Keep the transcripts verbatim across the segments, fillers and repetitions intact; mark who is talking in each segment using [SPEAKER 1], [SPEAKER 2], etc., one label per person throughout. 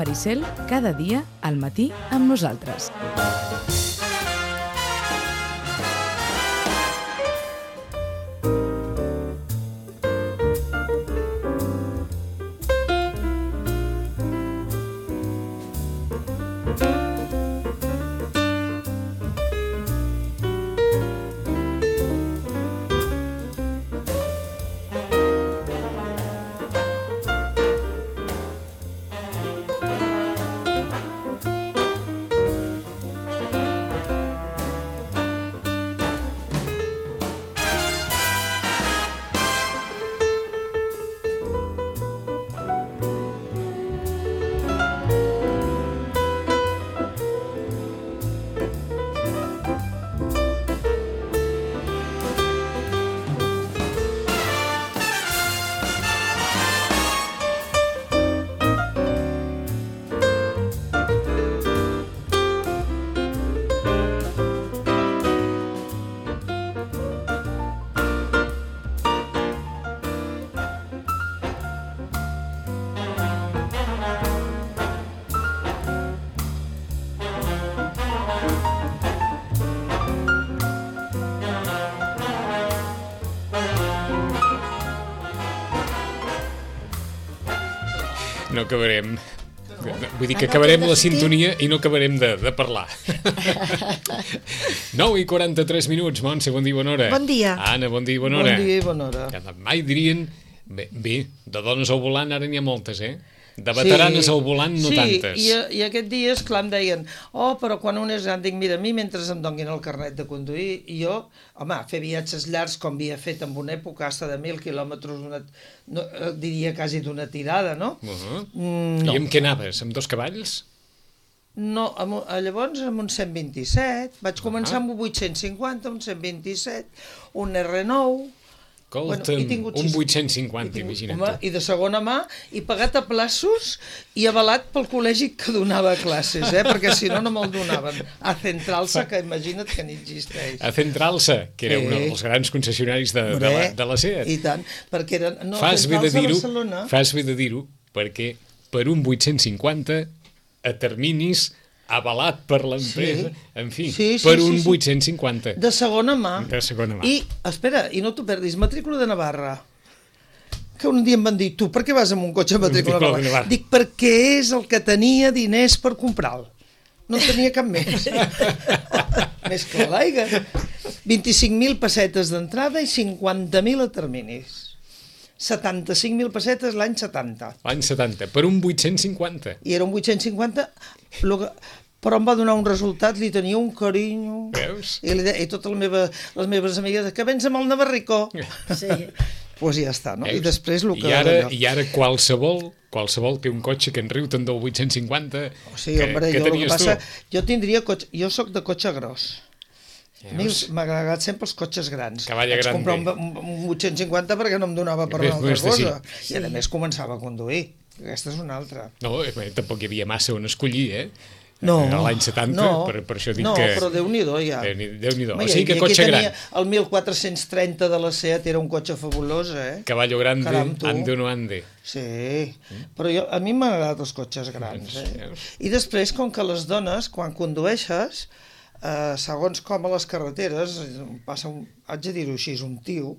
[SPEAKER 1] Maricel, cada dia al matí amb nosaltres.
[SPEAKER 2] No acabarem. Vull dir que acabarem la sintonia i no acabarem de, de parlar. nou i quaranta-tres minuts, Montse, bon dia i bona hora.
[SPEAKER 3] Bon dia.
[SPEAKER 2] Anna, bon dia i bona hora.
[SPEAKER 3] Bon dia i bona hora.
[SPEAKER 2] Que mai dirien... Bé, bé, de dones al volant ara n'hi ha moltes, eh? De veteranes sí, al volant no
[SPEAKER 3] sí,
[SPEAKER 2] tantes.
[SPEAKER 3] Sí, i, i aquest dia, esclar, em deien oh, però quan un és gran, dic, mira, a mi mentre em donguin el carnet de conduir, i jo, home, fer viatges llargs com havia fet en una època, hasta de mil quilòmetres, una, no, diria quasi d'una tirada, no?
[SPEAKER 2] Uh-huh.
[SPEAKER 3] Mm, no.
[SPEAKER 2] I amb què anaves? Amb dos cavalls?
[SPEAKER 3] No, amb, llavors amb un cent vint-i-set, vaig començar
[SPEAKER 2] uh-huh.
[SPEAKER 3] amb un vuit-cents cinquanta, un cent vint-i-set, un erre nou...
[SPEAKER 2] Escolta'm, bueno, un vuit-cents cinquanta, imagina't.
[SPEAKER 3] Home, i de segona mà, i pagat a plaços i avalat pel col·legi que donava classes, eh? Perquè si no, no me'l donaven. A Centralsa, que imagina't que ni existeix.
[SPEAKER 2] A Centralsa, que era eh. un dels grans concessionaris de, de, la, de la SEAT.
[SPEAKER 3] I tant, perquè era... No,
[SPEAKER 2] fas bé de dir-ho,
[SPEAKER 3] Barcelona...
[SPEAKER 2] fas bé de dir-ho, perquè per un vuit-cents cinquanta a terminis avalat per l'empresa, sí. en fi, sí, sí, per un sí, sí. vuit-cents cinquanta.
[SPEAKER 3] De segona mà.
[SPEAKER 2] De segona mà.
[SPEAKER 3] I, espera, i no t'ho perdis, matrícula de Navarra. Que un dia em van dir, tu, per què vas amb un cotxe matrícula de Navarra? Dic, perquè és el que tenia diners per comprar-lo. No en tenia cap més. Més que l'aigua. vint-i-cinc mil pessetes d'entrada i cinquanta mil a terminis. setanta-cinc mil pessetes l'any setanta.
[SPEAKER 2] L'any setanta, per un vuit-cents cinquanta.
[SPEAKER 3] I era un vuit-cents cinquanta, però em va donar un resultat, li tenia un carinyo.
[SPEAKER 2] Veus?
[SPEAKER 3] I, li de, i totes les meves, les meves amigues, que vens amb el Navarrico. Sí. Doncs pues ja està, no? Veus? I després el que...
[SPEAKER 2] I ara, i ara qualsevol, qualsevol té un cotxe que en riu tant del vuit-cents cinquanta, o sigui, que, hombre, que jo, tenies que passa, tu. Jo tindria cotxe, jo sóc de cotxe gros. A mi m'ha agradat sempre els cotxes grans. Cavalla
[SPEAKER 3] Vaig
[SPEAKER 2] grande.
[SPEAKER 3] comprar un, un vuit-cents cinquanta perquè no em donava per una altra cosa. Sí. I a més començava a conduir. Aquesta és una altra.
[SPEAKER 2] No, tampoc hi havia massa on escollir, eh?
[SPEAKER 3] No,
[SPEAKER 2] a l'any setanta,
[SPEAKER 3] no,
[SPEAKER 2] per, per això dic
[SPEAKER 3] no,
[SPEAKER 2] que...
[SPEAKER 3] No, però Déu-n'hi-do ja.
[SPEAKER 2] Déu-n'hi-do. O sigui que cotxe gran.
[SPEAKER 3] El mil quatre-cents trenta de la SEAT era un cotxe fabulós, eh?
[SPEAKER 2] Caballo grande, Caram, ande o no ande.
[SPEAKER 3] Sí, mm? Però jo, a mi m'han agradat els cotxes grans, eh? I després, com que les dones, quan condueixes... Uh, segons com a les carreteres passa, un, haig de dir-ho així, un tio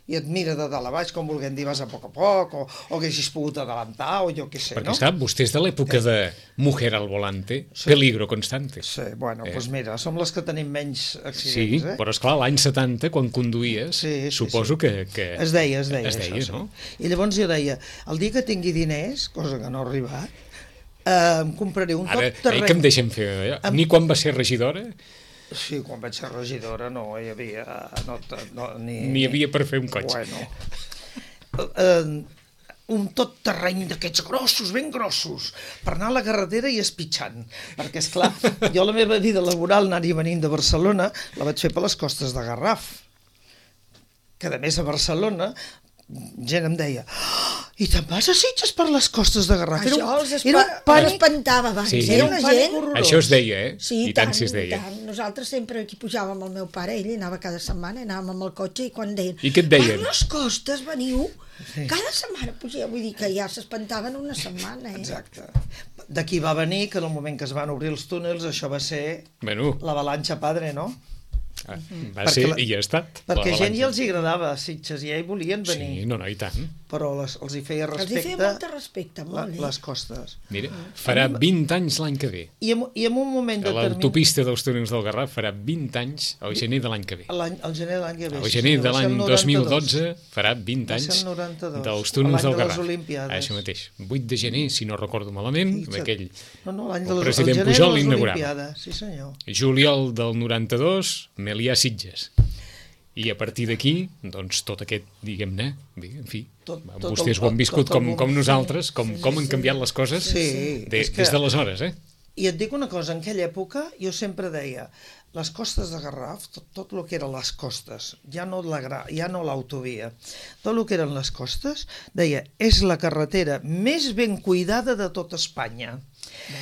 [SPEAKER 3] i et mira de dalt a baix com volguem dir vas a poc a poc o, o que hagis pogut adelantar o jo què sé,
[SPEAKER 2] perquè,
[SPEAKER 3] no?
[SPEAKER 2] Perquè vostè és de l'època eh. de mujer al volante, sí. Peligro constante.
[SPEAKER 3] Sí, bueno, doncs eh. pues mira, som les que tenim menys accidents,
[SPEAKER 2] sí,
[SPEAKER 3] eh?
[SPEAKER 2] Però esclar, l'any setanta, quan conduïes, sí, sí, suposo sí. Que, que...
[SPEAKER 3] Es deia, es deia,
[SPEAKER 2] es deia
[SPEAKER 3] això,
[SPEAKER 2] no?
[SPEAKER 3] Sí. I llavors jo deia, el dia que tingui diners, cosa que no ha arribat, eh, em compraré un
[SPEAKER 2] Ara,
[SPEAKER 3] tot terreny...
[SPEAKER 2] Ara, que em deixen fer allò? Em... Ni quan va ser regidora...
[SPEAKER 3] Sí, quan vaig ser regidora no hi havia... No, no, ni,
[SPEAKER 2] ni hi havia per fer un cotxe.
[SPEAKER 3] Bueno, uh, un tot terreny d'aquests grossos, ben grossos, per anar a la carretera i espitxant. Perquè, esclar, jo la meva vida laboral, anar i venint de Barcelona, la vaig fer per les costes de Garraf. Que, a més, a Barcelona, gent em deia... Oh,
[SPEAKER 2] I te'n vas a Sitges per les costes de Garraf.
[SPEAKER 4] Això
[SPEAKER 2] era,
[SPEAKER 4] els espa era espantava abans.
[SPEAKER 5] Sí,
[SPEAKER 4] era una gent...
[SPEAKER 5] Això es deia, eh?
[SPEAKER 4] Sí,
[SPEAKER 5] i tant, tant si es deia.
[SPEAKER 4] Tant. Nosaltres sempre aquí pujàvem amb el meu pare, ell anava cada setmana, anàvem amb el cotxe i quan deien...
[SPEAKER 5] I què et deien?
[SPEAKER 4] Per les costes veniu, sí. Cada setmana pugeu, vull dir que ja s'espantaven una setmana, eh?
[SPEAKER 2] Exacte. D'aquí va venir que en el moment que es van obrir els túnels això va ser
[SPEAKER 5] bueno.
[SPEAKER 2] l'avalanxa padre, no?
[SPEAKER 5] Ah, va perquè ser la, i ha estat.
[SPEAKER 2] Perquè gent ja els hi agradava Sitges i ja hi volien venir.
[SPEAKER 5] Sí, no, no, i tant.
[SPEAKER 2] Però les, els hi feia respecte...
[SPEAKER 4] Els hi feia molt de respecte, molt,
[SPEAKER 2] la,
[SPEAKER 4] eh?
[SPEAKER 2] Les costes.
[SPEAKER 5] Mira, farà vint anys l'any que ve.
[SPEAKER 2] I en, i en un moment determinat...
[SPEAKER 5] L'autopista dels túnels del Garraf farà vint anys al gener de l'any que ve.
[SPEAKER 2] El gener de l'any que ve.
[SPEAKER 5] El gener de l'any dos mil dotze farà vint anys dels túnels del Garraf. Això mateix. vuit de gener, si no recordo malament, amb aquell
[SPEAKER 2] no, no, l'any
[SPEAKER 5] el president Pujol
[SPEAKER 2] l'inaugurava. Sí, senyor.
[SPEAKER 5] Juliol del noranta-dos, Melià Sitges. I a partir d'aquí, doncs, tot aquest, diguem-ne, en fi, tot, tot vostès el, ho han viscut tot, tot com, com nosaltres, com, sí, com han canviat les coses sí, de, que, des d'aleshores, eh?
[SPEAKER 2] I et dic una cosa, en aquella època jo sempre deia, les costes de Garraf, tot, tot el que eren les costes, ja no la, ja no l'autovia, tot el que eren les costes, deia, és la carretera més ben cuidada de tota Espanya.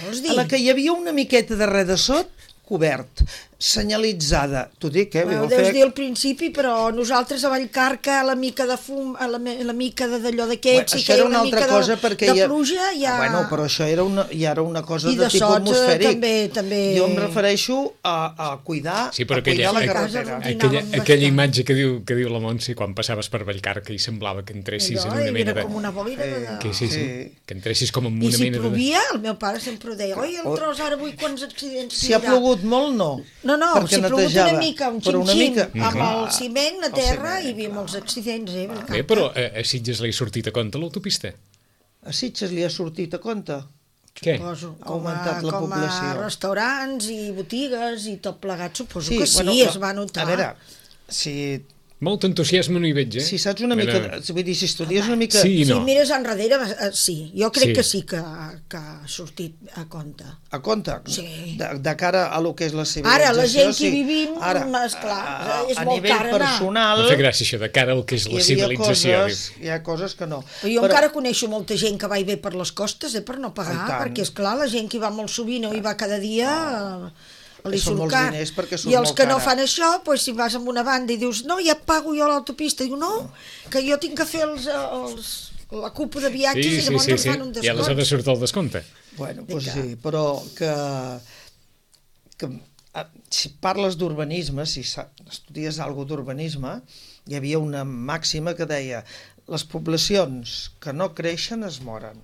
[SPEAKER 4] Vols dir?
[SPEAKER 2] A la que hi havia una miqueta de res de sot, cobert, senyalitzada. T'ho dic, eh?
[SPEAKER 4] Ho deus dir al principi, però nosaltres a Vallcarca, la mica de fum, la, la mica d'allò d'aquests,
[SPEAKER 2] bueno, això era una altra cosa
[SPEAKER 4] de,
[SPEAKER 2] perquè
[SPEAKER 4] de
[SPEAKER 2] ja...
[SPEAKER 4] pluja, ja...
[SPEAKER 2] Ah, bueno, però això era una, ja era una cosa
[SPEAKER 4] I
[SPEAKER 2] de, de tipus
[SPEAKER 4] sots,
[SPEAKER 2] atmosfèric.
[SPEAKER 4] També, també...
[SPEAKER 2] Jo em refereixo a, a cuidar,
[SPEAKER 5] sí,
[SPEAKER 2] a
[SPEAKER 5] aquella,
[SPEAKER 2] cuidar la carretera.
[SPEAKER 5] Aquella, aquella imatge que diu, que diu la Montse, quan passaves per Vallcarca i semblava que entressis
[SPEAKER 4] allò,
[SPEAKER 5] en una mena de...
[SPEAKER 4] Era com una boira de...
[SPEAKER 5] Que, sí, sí, sí, que entressis com en una
[SPEAKER 4] I si
[SPEAKER 5] mena de...
[SPEAKER 4] I si plovia, el meu pare sempre ho deia, oi, el tros ara avui quants accidents
[SPEAKER 2] si ha plogut molt, no.
[SPEAKER 4] No, no, si ha plogut una mica, un xin-xin,
[SPEAKER 2] mica...
[SPEAKER 4] amb el ciment a terra, hi havia molts accidents, eh?
[SPEAKER 5] Bé, però a Sitges li ha sortit a compte l'autopista?
[SPEAKER 2] A Sitges li ha sortit a compte?
[SPEAKER 5] Què?
[SPEAKER 4] Suposo,
[SPEAKER 2] ha augmentat la
[SPEAKER 4] com
[SPEAKER 2] població.
[SPEAKER 4] Com a restaurants i botigues i tot plegat, suposo
[SPEAKER 2] sí,
[SPEAKER 4] que sí,
[SPEAKER 2] bueno,
[SPEAKER 4] es va notar.
[SPEAKER 2] A veure, si...
[SPEAKER 5] Molt entusiasme no hi veig, eh?
[SPEAKER 2] Si saps una mica, vull dir, si estudies una mica...
[SPEAKER 5] Sí, no.
[SPEAKER 4] Si mires enrere, sí, jo crec
[SPEAKER 5] sí.
[SPEAKER 4] que sí que, que ha sortit a compte.
[SPEAKER 2] A compte?
[SPEAKER 4] Sí.
[SPEAKER 2] De, de cara a lo que és la civilització.
[SPEAKER 4] Ara, la gent que
[SPEAKER 2] sí.
[SPEAKER 4] hi vivim,
[SPEAKER 2] Ara,
[SPEAKER 4] esclar,
[SPEAKER 2] a,
[SPEAKER 4] és
[SPEAKER 2] a
[SPEAKER 4] molt
[SPEAKER 2] car
[SPEAKER 4] car anar.
[SPEAKER 2] Personal,
[SPEAKER 5] no té gràcia això, de cara al que és la civilització.
[SPEAKER 2] Coses, hi ha coses que no.
[SPEAKER 4] Però jo Però... encara coneixo molta gent que va i ve per les costes, eh, per no pagar, perquè, esclar, la gent que hi va molt sovint o hi va cada dia... No. Li
[SPEAKER 2] són molts
[SPEAKER 4] car.
[SPEAKER 2] diners perquè surt
[SPEAKER 4] I els
[SPEAKER 2] molt
[SPEAKER 4] que
[SPEAKER 2] cara.
[SPEAKER 4] no fan això, doncs, si vas amb una banda i dius no, ja pago jo l'autopista, diu no, que jo tinc que fer els, els, la cupa de viatges
[SPEAKER 5] sí,
[SPEAKER 4] i llavors
[SPEAKER 5] sí, sí,
[SPEAKER 4] em fan un descompte.
[SPEAKER 5] I aleshores surt el descompte.
[SPEAKER 2] Bueno, doncs sí, però que, que si parles d'urbanisme, si estudies alguna d'urbanisme, hi havia una màxima que deia les poblacions que no creixen es moren.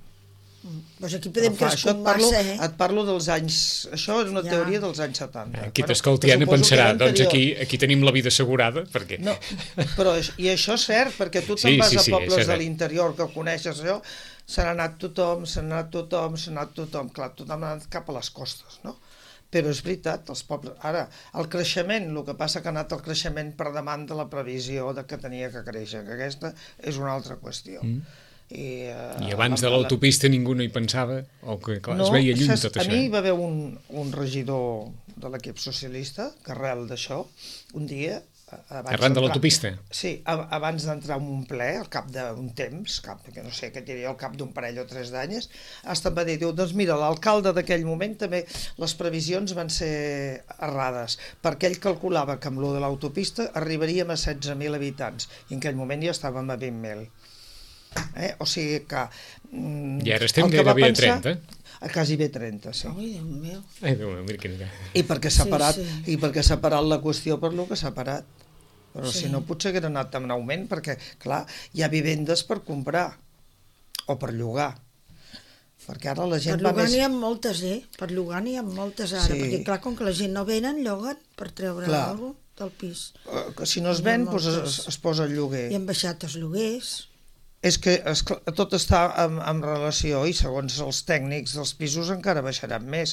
[SPEAKER 4] Doncs aquí podem
[SPEAKER 2] clar,
[SPEAKER 4] crescut
[SPEAKER 2] et parlo,
[SPEAKER 4] massa, eh?
[SPEAKER 2] Et parlo dels anys... Això és una ja. teoria dels anys setanta.
[SPEAKER 5] Qui t'escolti bueno, Anna pensarà, doncs aquí, aquí tenim la vida assegurada, perquè...
[SPEAKER 2] No, però, I això és cert, perquè tu te'n
[SPEAKER 5] sí,
[SPEAKER 2] vas
[SPEAKER 5] sí,
[SPEAKER 2] a
[SPEAKER 5] sí,
[SPEAKER 2] pobles de l'interior que coneixes allò, se n'ha anat tothom, se n'ha anat tothom, se n'ha anat tothom, clar, tothom ha anat cap a les costes, no? Però és veritat, els pobles... Ara, el creixement, el que passa que ha anat el creixement per davant de la previsió de que tenia que créixer, que aquesta és una altra qüestió. Mm. I, uh,
[SPEAKER 5] I abans de l'autopista ningú no hi pensava, o que clar, no, es veia lluny tot
[SPEAKER 2] a
[SPEAKER 5] això.
[SPEAKER 2] A mi hi va haver un, un regidor de l'equip socialista, que arrel d'això, un dia...
[SPEAKER 5] Arran de l'autopista?
[SPEAKER 2] Sí, abans d'entrar en un ple, al cap d'un temps, cap, que no sé què diria, al cap d'un parell o tres d'anyes, hasta em va dir, diu, doncs mira, l'alcalde d'aquell moment també les previsions van ser errades, perquè ell calculava que amb lo de l'autopista arribaríem a setze mil habitants, i en aquell moment ja estàvem a vint mil. Eh? O sigui que... Mm,
[SPEAKER 5] I ara estem gairebé a trenta.
[SPEAKER 2] A quasi bé trenta, sí.
[SPEAKER 4] Ai, Déu meu.
[SPEAKER 5] Ai, Déu meu, mira quina...
[SPEAKER 2] I perquè s'ha
[SPEAKER 4] sí,
[SPEAKER 2] parat,
[SPEAKER 4] sí.
[SPEAKER 2] i perquè s'ha parat la qüestió per lo que s'ha parat. Però
[SPEAKER 4] sí.
[SPEAKER 2] si no potser hagués anat en augment, perquè, clar, hi ha vivendes per comprar o per llogar. Perquè ara la gent
[SPEAKER 4] per
[SPEAKER 2] va
[SPEAKER 4] llogar
[SPEAKER 2] més...
[SPEAKER 4] n'hi ha moltes, eh? Per llogar n'hi ha moltes ara, sí. perquè clar, com que la gent no venen, lloguen per treure alguna cosa del pis.
[SPEAKER 2] Que si no es ven, doncs es, es posa el lloguer.
[SPEAKER 4] I han baixat els lloguers.
[SPEAKER 2] És que es, tot està en, en relació i segons els tècnics dels pisos encara baixaran més.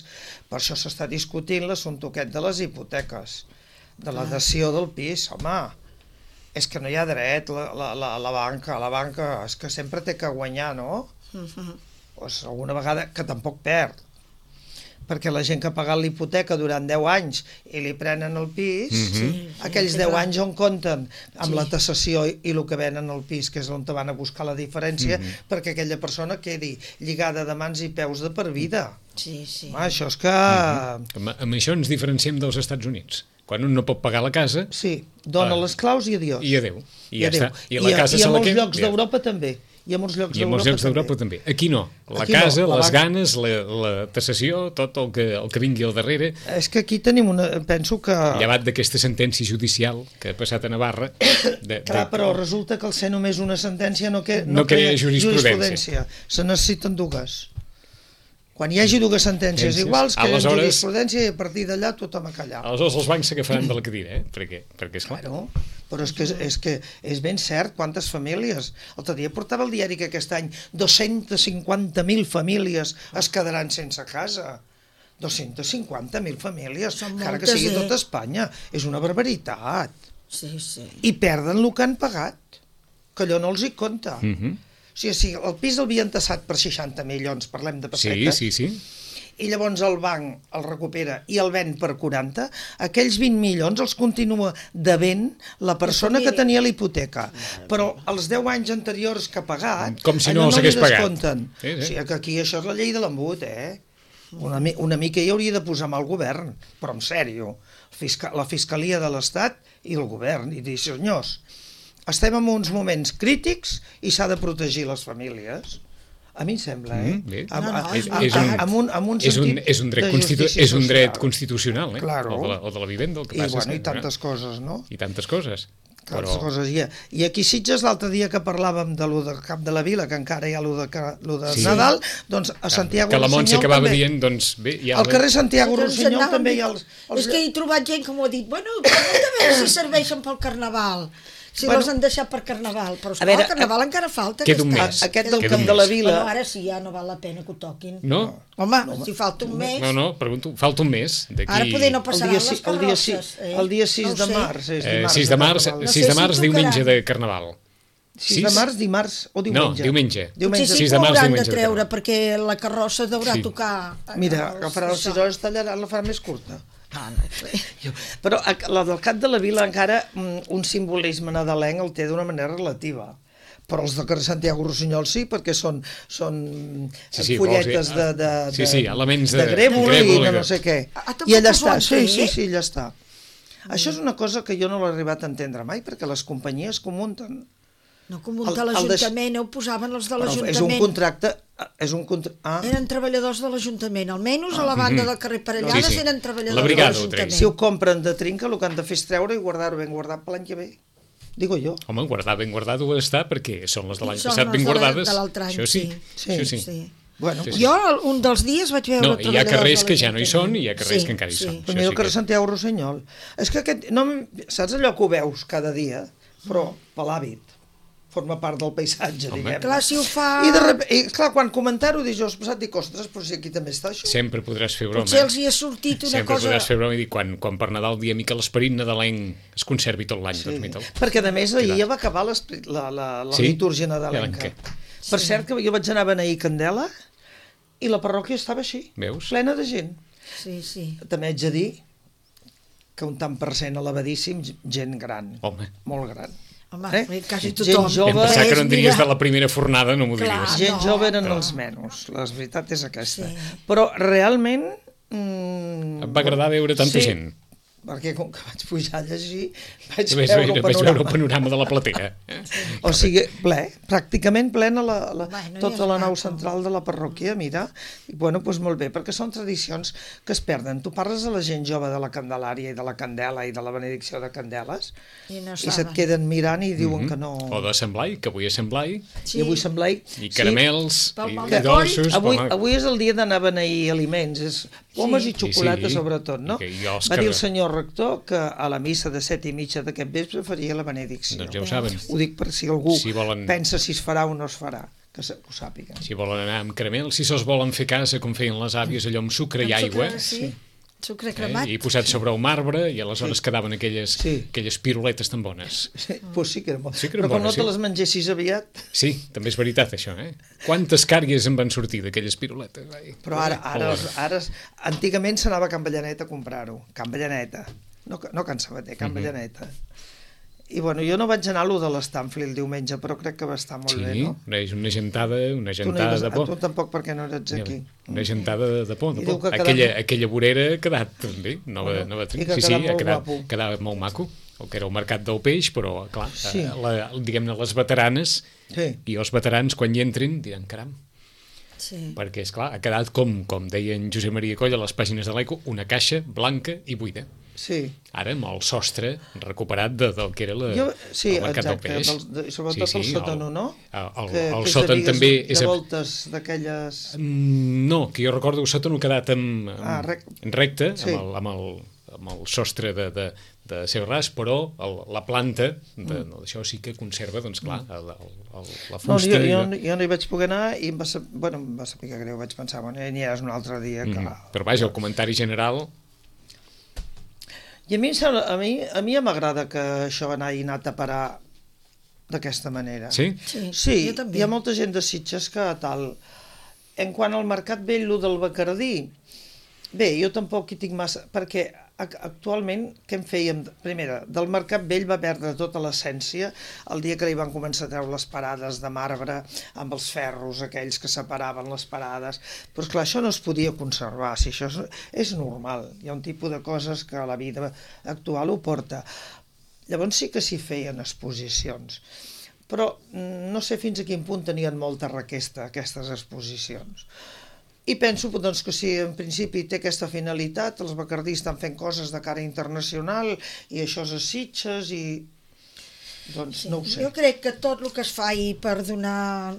[SPEAKER 2] Per això s'està discutint l'assumpte aquest de les hipoteques, de la dació del pis. Home, és que no hi ha dret, la, la, la, la banca, la banca és que sempre té que guanyar, no? Uh-huh. Pues alguna vegada que tampoc perd. perquè la gent que ha pagat l'hipoteca durant deu anys i li prenen el pis, mm-hmm. aquells deu anys on compten amb sí. la tassació i el que venen al pis, que és on te van a buscar la diferència, mm-hmm. perquè aquella persona quedi lligada de mans i peus de per vida.
[SPEAKER 4] Sí, sí.
[SPEAKER 2] Ah, això és que...
[SPEAKER 5] Mm-hmm. Amb, amb això ens diferenciem dels Estats Units. Quan un no pot pagar la casa...
[SPEAKER 2] Sí, dona uh, les claus i adiós.
[SPEAKER 5] I adéu. I, I ja
[SPEAKER 2] adéu.
[SPEAKER 5] està. I, la
[SPEAKER 2] I,
[SPEAKER 5] casa
[SPEAKER 2] i
[SPEAKER 5] se
[SPEAKER 2] a
[SPEAKER 5] la
[SPEAKER 2] molts
[SPEAKER 5] queda...
[SPEAKER 2] llocs d'Europa també. I a molts llocs
[SPEAKER 5] I a molts llocs d'Europa també. també. Aquí no. La aquí casa, no. La les banca... ganes, la, la tassació, tot el que, el que vingui al darrere...
[SPEAKER 2] És que aquí tenim una... Penso que...
[SPEAKER 5] Llevat d'aquesta sentència judicial que ha passat a Navarra...
[SPEAKER 2] De, Clar, de... però resulta que al ser només una sentència no, que,
[SPEAKER 5] no, no crea jurisprudència.
[SPEAKER 2] jurisprudència. Se necessiten dues. Quan hi hagi dues sentències iguals, que hi ha jurisprudència i a partir d'allà tothom a callar.
[SPEAKER 5] Aleshores els bancs s'agafaran de la cadira, eh? Perquè, perquè és clar.
[SPEAKER 2] Bueno, però és que, és que és ben cert quantes famílies. L'altre dia portava el diari que aquest any dos-cents cinquanta mil famílies es quedaran sense casa. dos-cents cinquanta mil famílies, encara que sigui tot Espanya. És una barbaritat.
[SPEAKER 4] Sí, sí.
[SPEAKER 2] I perden el que han pagat, que allò no els hi compta.
[SPEAKER 5] Mhm.
[SPEAKER 2] O sigui, si el pis l'havien tassat per seixanta milions, parlem de pessetes,
[SPEAKER 5] sí, sí, sí.
[SPEAKER 2] i llavors el banc el recupera i el ven per quaranta, aquells vint milions els continua devent la persona que tenia la hipoteca. Però els deu anys anteriors que ha pagat,
[SPEAKER 5] com si no els hagués pagat.
[SPEAKER 2] Sí, sí. O sigui, que aquí això és la llei de l'embut, eh? Una, una mica hi hauria de posar mà al govern, però en sèrio, Fiscal, la Fiscalia de l'Estat i el govern, i dir, senyors, estem en uns moments crítics i s'ha de protegir les famílies. A mi em sembla, eh?
[SPEAKER 5] Mm,
[SPEAKER 2] amb,
[SPEAKER 4] no, no,
[SPEAKER 2] és, és, un, amb, un, amb un
[SPEAKER 5] és
[SPEAKER 2] sentit
[SPEAKER 5] un, és un dret
[SPEAKER 2] de
[SPEAKER 5] constitu
[SPEAKER 2] justícia
[SPEAKER 5] és un dret
[SPEAKER 2] social.
[SPEAKER 5] constitucional, eh?
[SPEAKER 2] Claro.
[SPEAKER 5] O, de la, o de la vivenda, el que
[SPEAKER 2] I,
[SPEAKER 5] passa
[SPEAKER 2] bueno,
[SPEAKER 5] és
[SPEAKER 2] i tantes coses, no?
[SPEAKER 5] I tantes coses.
[SPEAKER 2] Tantes
[SPEAKER 5] Però...
[SPEAKER 2] coses hi ha. I aquí Sitges, l'altre dia que parlàvem de lo del Cap de la Vila, que encara hi ha lo de, lo de sí. Nadal, doncs a Santiago
[SPEAKER 5] que la Montse
[SPEAKER 2] Rossinyol
[SPEAKER 5] acabava
[SPEAKER 2] també.
[SPEAKER 5] dient, doncs bé... Ja
[SPEAKER 2] al carrer Santiago
[SPEAKER 4] doncs
[SPEAKER 2] Rossinyol també hi ha els, els...
[SPEAKER 4] És que he trobat gent que m'ho ha dit, bueno, a veure si serveixen pel Carnaval. Si bueno, les han deixat per Carnaval, però esclar, veure, el Carnaval a... encara falta.
[SPEAKER 5] Queda un mes.
[SPEAKER 2] Aquest del Camp de la Vila...
[SPEAKER 4] Bueno, ara sí, ja no val la pena que ho toquin.
[SPEAKER 5] No?
[SPEAKER 4] Home, no, si falta un mes...
[SPEAKER 5] No, no, pregunto, falta un mes.
[SPEAKER 4] Ara poder no passaran les carrosses.
[SPEAKER 2] El dia sis de març.
[SPEAKER 5] sis de març, sis de març, diumenge de Carnaval.
[SPEAKER 2] sis de març, dimarts o diumenge?
[SPEAKER 5] No, diumenge.
[SPEAKER 4] diumenge. Sí, sí, que ho hauran de treure, perquè la carrossa deurà sí. tocar...
[SPEAKER 2] Mira, agafarà les sis hores, tallaran, la farà més curta. Ah, no sé. Però la del Cap de la Vila encara un simbolisme nadalenc el té d'una manera relativa. Però els de carrer Santiago Rossinyol sí, perquè són, són sí, sí, folletes de, de, de,
[SPEAKER 5] sí, sí, elements de,
[SPEAKER 2] de grèvol i de no sé què.
[SPEAKER 4] Ah,
[SPEAKER 2] I allà està, sí, sí, sí, allà està. Mm. Això és una cosa que jo no l'he arribat a entendre mai, perquè les companyies que ho munten...
[SPEAKER 4] No, que ho munta l'Ajuntament, ho posaven els de l'Ajuntament.
[SPEAKER 2] És un contracte... És un contra... ah.
[SPEAKER 4] Eren treballadors de l'Ajuntament, almenys a la banda del carrer Parellades sí, sí. eren treballadors
[SPEAKER 5] la brigada,
[SPEAKER 4] de l'Ajuntament.
[SPEAKER 2] Si ho compren de trinca, el que han de fer és treure i guardar-ho ben guardat per l'any que ve. Digo jo.
[SPEAKER 5] Home, guardar ben guardat ho està perquè són les de l'any passat ben guardades.
[SPEAKER 4] De l'altre any,
[SPEAKER 5] això sí.
[SPEAKER 4] Sí,
[SPEAKER 5] això sí.
[SPEAKER 4] sí.
[SPEAKER 2] Bueno,
[SPEAKER 5] sí, sí.
[SPEAKER 4] Jo un dels dies vaig veure
[SPEAKER 5] no, hi ha carrers que ja no hi són i hi ha carrers
[SPEAKER 4] sí,
[SPEAKER 5] que encara hi
[SPEAKER 4] sí.
[SPEAKER 5] són.
[SPEAKER 2] Però mira el carrer Santiago Rossinyol. És que aquest... No, saps allò que ho veus cada dia? Però per l'hàbit. Forma part del paisatge,
[SPEAKER 5] Home.
[SPEAKER 2] diguem.
[SPEAKER 4] Clar, si ho fa...
[SPEAKER 2] I, de rep... I clar, quan comentar-ho, dius, jo he passat, dic, ostres, però si aquí també està això.
[SPEAKER 5] Sempre podràs fer broma.
[SPEAKER 4] Potser els hi ha sortit una
[SPEAKER 5] Sempre
[SPEAKER 4] cosa...
[SPEAKER 5] Sempre podràs fer broma i dir, quan, quan per Nadal diem que l'esperit nadalenc es conservi tot l'any.
[SPEAKER 2] Sí.
[SPEAKER 5] Doncs,
[SPEAKER 2] perquè, a més, ahir ja va acabar la, la, la
[SPEAKER 5] sí?
[SPEAKER 2] litúrgia nadalenca. Sí. Per cert, que jo vaig anar a beneir Candela i la parròquia estava així,
[SPEAKER 5] Veus?
[SPEAKER 2] plena de gent.
[SPEAKER 4] Sí, sí.
[SPEAKER 2] També haig de dir que un tant per cent elevadíssim, gent gran.
[SPEAKER 5] Home.
[SPEAKER 2] Molt gran.
[SPEAKER 4] Home,
[SPEAKER 2] eh?
[SPEAKER 4] quasi tothom.
[SPEAKER 2] Gent jove...
[SPEAKER 5] Em pensava que no en diries de la primera fornada, no m'ho
[SPEAKER 4] Clar,
[SPEAKER 5] diries.
[SPEAKER 2] Gent
[SPEAKER 4] no,
[SPEAKER 2] jove eren
[SPEAKER 4] però...
[SPEAKER 2] els menys, la veritat és aquesta.
[SPEAKER 4] Sí.
[SPEAKER 2] Però realment... Mm,
[SPEAKER 5] em va agradar veure tanta
[SPEAKER 2] sí,
[SPEAKER 5] gent.
[SPEAKER 2] perquè com que vaig pujar a llegir, vaig,
[SPEAKER 5] vaig,
[SPEAKER 2] veure, el
[SPEAKER 5] vaig veure el panorama de la platea.
[SPEAKER 2] O sigui, ple, pràcticament plena la, la,
[SPEAKER 4] bueno,
[SPEAKER 2] tota
[SPEAKER 4] ja
[SPEAKER 2] la nau
[SPEAKER 4] maco.
[SPEAKER 2] central de la parròquia, mira, i bueno, doncs molt bé, perquè són tradicions que es perden. Tu parles de la gent jove de la Candelària i de la Candela i de la benedicció de Candeles,
[SPEAKER 4] i, no
[SPEAKER 2] i se't queden mirant i diuen mm-hmm. que no...
[SPEAKER 5] O de Sant Blai, que avui és Sant Blai.
[SPEAKER 2] Sí. I avui Sant Blai...
[SPEAKER 5] I caramels,
[SPEAKER 4] sí.
[SPEAKER 5] i, i dolços...
[SPEAKER 2] Avui,
[SPEAKER 5] home...
[SPEAKER 2] avui és el dia d'anar a beneir aliments, és pomes sí. i xocolata sí, sí. sobretot, no?
[SPEAKER 5] I i
[SPEAKER 2] Va dir el senyor rector que a la missa de set i mitja d'aquest vespre faria la benedicció.
[SPEAKER 5] Doncs ja ho saben.
[SPEAKER 2] Ho dic per si algú
[SPEAKER 5] si volen...
[SPEAKER 2] pensa si es farà o no es farà, que ho sàpiguen.
[SPEAKER 5] Si volen anar amb caramel, si se'ls volen fer casa com feien les àvies, allò amb sucre amb i aigua,
[SPEAKER 4] sucre, sí. Sucre cremat.
[SPEAKER 5] Eh? I posat sobre el marbre i aleshores sí. quedaven aquelles, sí. aquelles piruletes tan bones.
[SPEAKER 2] Sí, pues sí que eren bones.
[SPEAKER 5] Sí que eren
[SPEAKER 2] Però com
[SPEAKER 5] bones,
[SPEAKER 2] no te
[SPEAKER 5] sí.
[SPEAKER 2] les mengessis aviat...
[SPEAKER 5] Sí, també és veritat això, eh? Quantes càries en van sortir d'aquelles piruletes? Ai.
[SPEAKER 2] Però ara, ara, ara, ara antigament s'anava a Can Ballanet a comprar-ho. Can Ballaneta. No, no Can Sabater, Can uh-huh. Ballaneta. I bueno, jo no vaig anar a lo de l'Stanfli el diumenge, però crec que va estar molt
[SPEAKER 5] sí,
[SPEAKER 2] bé, no?
[SPEAKER 5] Sí, una gentada, una gentada
[SPEAKER 2] no
[SPEAKER 5] de por.
[SPEAKER 2] Tu tampoc, perquè no eres aquí.
[SPEAKER 5] Una gentada de por, de por.
[SPEAKER 2] Quedava...
[SPEAKER 5] Aquella, aquella vorera ha quedat també, nova, bueno, nova trinca. Sí, sí, ha quedat, quedava molt maco, el que era el mercat del peix, però, clar, sí. la, diguem-ne, les veteranes sí. i els veterans, quan hi entrin, diran, caram, sí. perquè, esclar, ha quedat, com, com deia en Josep Maria Coll a les pàgines de l'Eco, una caixa blanca i buida.
[SPEAKER 2] Sí.
[SPEAKER 5] Ara amb el sostre recuperat de, del que era la, jo, sí, el mercat
[SPEAKER 2] exacte,
[SPEAKER 5] del peix.
[SPEAKER 2] Del, sobretot sí, sí, el sòtano, no?
[SPEAKER 5] El, el,
[SPEAKER 2] que,
[SPEAKER 5] el
[SPEAKER 2] que
[SPEAKER 5] sòtan també...
[SPEAKER 2] De és voltes d'aquelles...
[SPEAKER 5] No, que jo recordo el sòtan ha quedat amb, amb,
[SPEAKER 2] ah, rec...
[SPEAKER 5] recte,
[SPEAKER 2] sí.
[SPEAKER 5] amb, el, amb, el, amb el sostre de, de, de seu ras, però el, la planta de, mm. no, això sí que conserva, doncs clar, el, el, el, la fusta...
[SPEAKER 2] No, jo, jo, jo no hi vaig poder anar i em va, ser, bueno, em va saber que greu, vaig pensar, bueno, n'hi és un altre dia que... Mm.
[SPEAKER 5] Però vaja, el comentari general...
[SPEAKER 2] I a mi, a mi, a mi ja m'agrada que això va anar i anat a parar d'aquesta manera.
[SPEAKER 5] Sí?
[SPEAKER 2] Sí, sí hi ha molta gent de Sitges que tal... En quant al Mercat Vell, lo del Bacardí, bé, jo tampoc hi tinc massa... Perquè actualment, què en fèiem? Primera, del Mercat Vell va perdre tota l'essència el dia que li van començar a treure les parades de marbre amb els ferros, aquells que separaven les parades. Però, esclar, això no es podia conservar. Si això és, és normal. Hi ha un tipus de coses que la vida actual ho porta. Llavors sí que s'hi feien exposicions. Però no sé fins a quin punt tenien molta requesta aquestes exposicions. I penso doncs, que si en principi té aquesta finalitat, els bacardís estan fent coses de cara internacional i això és a Sitges i... Doncs no ho sé.
[SPEAKER 4] Jo crec que tot el que es fa per donar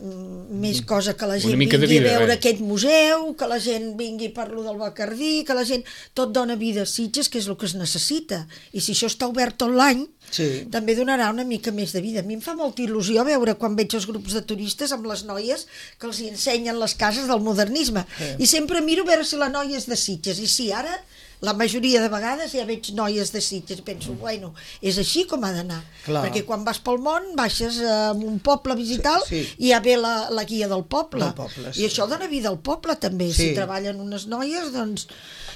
[SPEAKER 4] més cosa que la gent
[SPEAKER 5] vingui
[SPEAKER 4] vida, a veure eh? aquest museu, que la gent vingui per lo del Bacardí, que la gent... Tot dona vida a Sitges, que és el que es necessita. I si això està obert tot l'any, sí. també donarà una mica més de vida. A mi em fa molta il·lusió veure quan veig els grups de turistes amb les noies que els ensenyen les cases del modernisme. Sí. I sempre miro a veure si la noia és de Sitges. I sí, ara... La majoria de vegades ja veig noies de Sitges i penso, bueno, és així com ha d'anar. Perquè quan vas pel món baixes a un poble a visitar-lo sí, sí. i ja ve la, la guia del poble.
[SPEAKER 2] Del poble sí.
[SPEAKER 4] I això dona vida al poble també. Sí. Si treballen unes noies, doncs...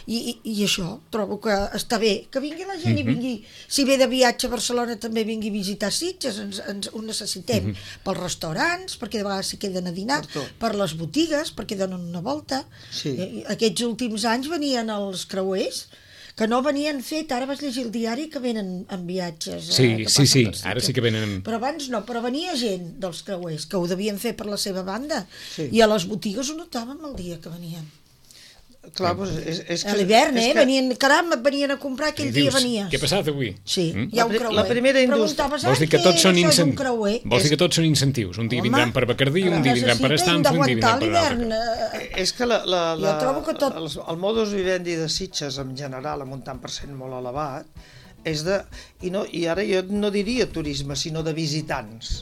[SPEAKER 4] I, i, I això, trobo que està bé. Que vingui la gent mm-hmm. i vingui... Si ve de viatge a Barcelona també vingui a visitar Sitges, ens, ens ho necessitem. Mm-hmm. Pels restaurants, perquè de vegades s'hi queden a dinar, per, per les botigues, perquè donen una volta. Sí. Aquests últims anys venien els creuers, que no venien fet, ara vas llegir el diari que venen en viatges.
[SPEAKER 5] Sí,
[SPEAKER 4] eh,
[SPEAKER 5] sí, sí, ara sí que venen...
[SPEAKER 4] Però abans no, però venia gent dels creuers, que ho devien fer per la seva banda, sí. i a les botigues ho notàvem el dia que venien.
[SPEAKER 2] Clar, doncs és, és que...
[SPEAKER 4] A l'hivern, eh? Que... Venien, caram, venien a comprar, aquell dia venia.
[SPEAKER 5] Què ha passat avui?
[SPEAKER 4] Sí, mm? hi ha un creuer.
[SPEAKER 2] La primera indústria...
[SPEAKER 5] Vols dir que tots són incentius? Vols dir que tots són incentius? Un dia vindran per Bacardí, un dia vindran per Stanfli, un dia vindran per l'altre.
[SPEAKER 2] És que, la, la, la,
[SPEAKER 4] jo trobo que tot...
[SPEAKER 2] el, el modus vivendi de Sitges, en general, amb un tant per cent molt elevat, és de... I, no, i ara jo no diria turisme, sinó de visitants.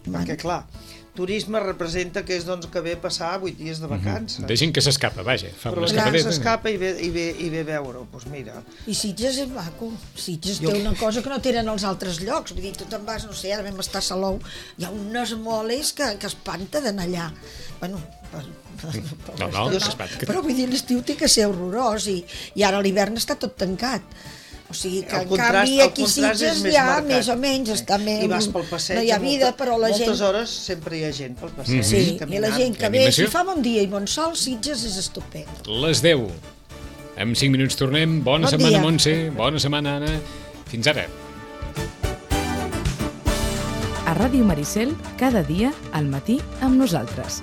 [SPEAKER 2] Man. Perquè, clar... Turisme representa que és doncs, que ve passar vuit dies de vacances.
[SPEAKER 5] Mm-hmm. De gent que s'escapa, vaja. Fa
[SPEAKER 2] però la gent s'escapa i, ve, i, ve, i ve veure-ho, doncs mira.
[SPEAKER 4] I Sitges és maco. Sitges jo... té una cosa que no tenen als altres llocs. Vull dir, tu te'n vas, no sé, ara vam estar a Salou, hi ha unes moles que, que espanta d'anar allà. Bueno, per, per, per
[SPEAKER 5] no, no, no, no.
[SPEAKER 4] Però vull dir, l'estiu té que ser horrorós i, i ara l'hivern està tot tancat. O sigui que, en canvi, aquí Sitges ja, marcat. Més o menys, està més...
[SPEAKER 2] I vas pel passeig,
[SPEAKER 4] no hi ha vida,
[SPEAKER 2] molta,
[SPEAKER 4] però la
[SPEAKER 2] moltes
[SPEAKER 4] gent...
[SPEAKER 2] moltes hores sempre hi ha gent pel passeig.
[SPEAKER 4] Sí,
[SPEAKER 2] caminant.
[SPEAKER 4] I la gent que ve, si fa bon dia i bon sol, Sitges és estupend.
[SPEAKER 5] Les deu. En cinc minuts tornem. Bona bon setmana, dia. Montse. Bona setmana, Anna. Fins ara.
[SPEAKER 1] A Ràdio Maricel, cada dia, al matí, amb nosaltres.